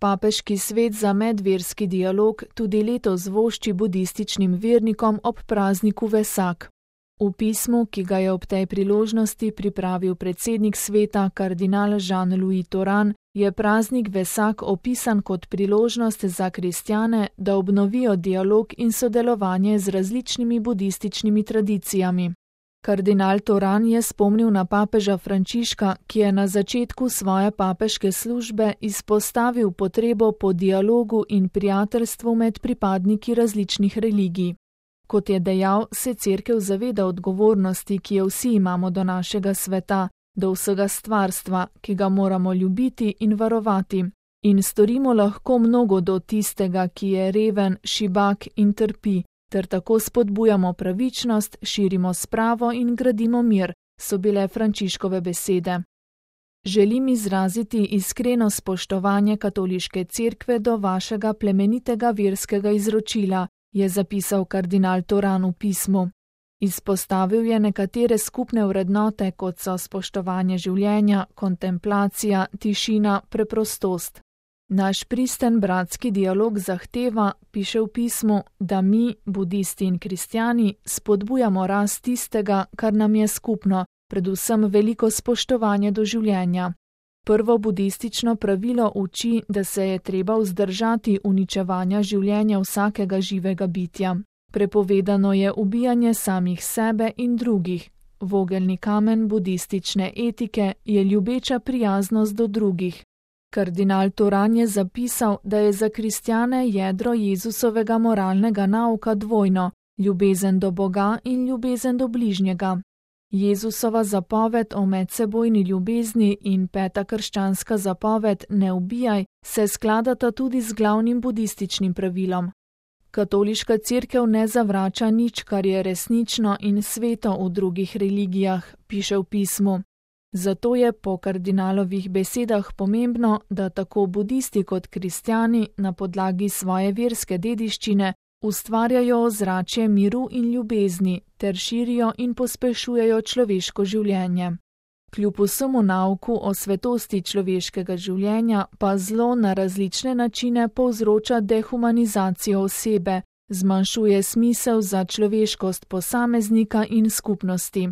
Papeški svet za medverski dialog tudi letos vošči budističnim vernikom ob prazniku Vesak. V pismu, ki ga je ob tej priložnosti pripravil predsednik sveta kardinal Jean-Louis Thoran, je praznik Vesak opisan kot priložnost za kristjane, da obnovijo dialog in sodelovanje z različnimi budističnimi tradicijami. Kardinal Thoran je spomnil na papeža Frančiška, ki je na začetku svoje papeške službe izpostavil potrebo po dialogu in prijateljstvu med pripadniki različnih religij. Kot je dejal, se Cerkev zaveda odgovornosti, ki jo vsi imamo do našega sveta, do vsega stvarstva, ki ga moramo ljubiti in varovati. In storimo lahko mnogo do tistega, ki je reven, šibak in trpi, ter tako spodbujamo pravičnost, širimo spravo in gradimo mir, so bile Frančiškove besede. Želim izraziti iskreno spoštovanje katoliške cerkve do vašega plemenitega verskega izročila, je zapisal kardinal Thoran v pismu. Izpostavil je nekatere skupne vrednote, kot so spoštovanje življenja, kontemplacija, tišina, preprostost. Naš pristen bratski dialog zahteva, piše v pismu, da mi, budisti in kristjani, spodbujamo rast tistega, kar nam je skupno, predvsem veliko spoštovanje do življenja. Prvo budistično pravilo uči, da se je treba vzdržati uničevanja življenja vsakega živega bitja. Prepovedano je ubijanje samih sebe in drugih. Vogelni kamen budistične etike je ljubeča prijaznost do drugih. Kardinal Thoran je zapisal, da je za kristjane jedro Jezusovega moralnega nauka dvojno, ljubezen do Boga in ljubezen do bližnjega. Jezusova zapoved o medsebojni ljubezni in peta krščanska zapoved ne ubijaj se skladata tudi z glavnim budističnim pravilom. Katoliška cerkev ne zavrača nič, kar je resnično in sveto v drugih religijah, piše v pismu. Zato je po kardinalovih besedah pomembno, da tako budisti kot kristjani na podlagi svoje verske dediščine ustvarjajo ozračje miru in ljubezni ter širijo in pospešujejo človeško življenje. Kljub vsemu nauku o svetosti človeškega življenja pa zlo na različne načine povzroča dehumanizacijo osebe, zmanjšuje smisel za človeškost posameznika in skupnosti.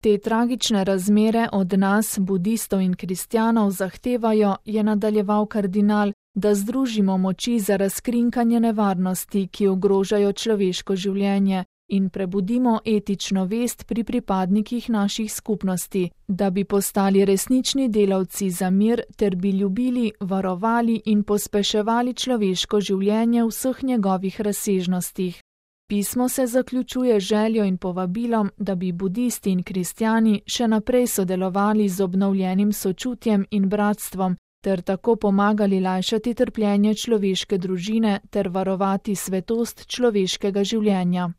Te tragične razmere od nas, budistov in kristjanov, zahtevajo, je nadaljeval kardinal, da združimo moči za razkrinkanje nevarnosti, ki ogrožajo človeško življenje, in prebudimo etično vest pri pripadnikih naših skupnosti, da bi postali resnični delavci za mir ter bi ljubili, varovali in pospeševali človeško življenje v vseh njegovih razsežnostih. Pismo se zaključuje željo in povabilom, da bi budisti in kristjani še naprej sodelovali z obnovljenim sočutjem in bratstvom, ter tako pomagali lajšati trpljenje človeške družine ter varovati svetost človeškega življenja.